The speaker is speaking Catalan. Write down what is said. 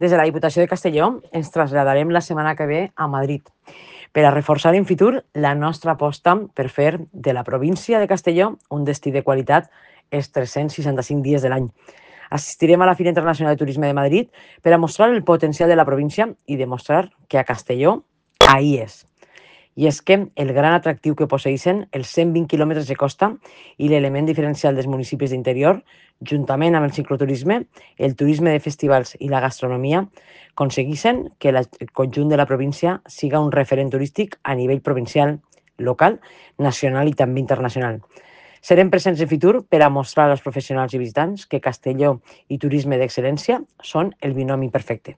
Des de la Diputació de Castelló ens traslladarem la setmana que ve a Madrid per a reforçar en futur la nostra aposta per fer de la província de Castelló un destí de qualitat els 365 dies de l'any. Assistirem a la Fira Internacional de Turisme de Madrid per a mostrar el potencial de la província i demostrar que a Castelló ahí és. I és que el gran atractiu que posseixen els 120 quilòmetres de costa i l'element diferencial dels municipis d'interior, juntament amb el cicloturisme, el turisme de festivals i la gastronomia, aconsegueixen que el conjunt de la província siga un referent turístic a nivell provincial, local, nacional i també internacional. Serem presents en futur per a mostrar als professionals i visitants que Castelló i turisme d'excel·lència són el binomi perfecte.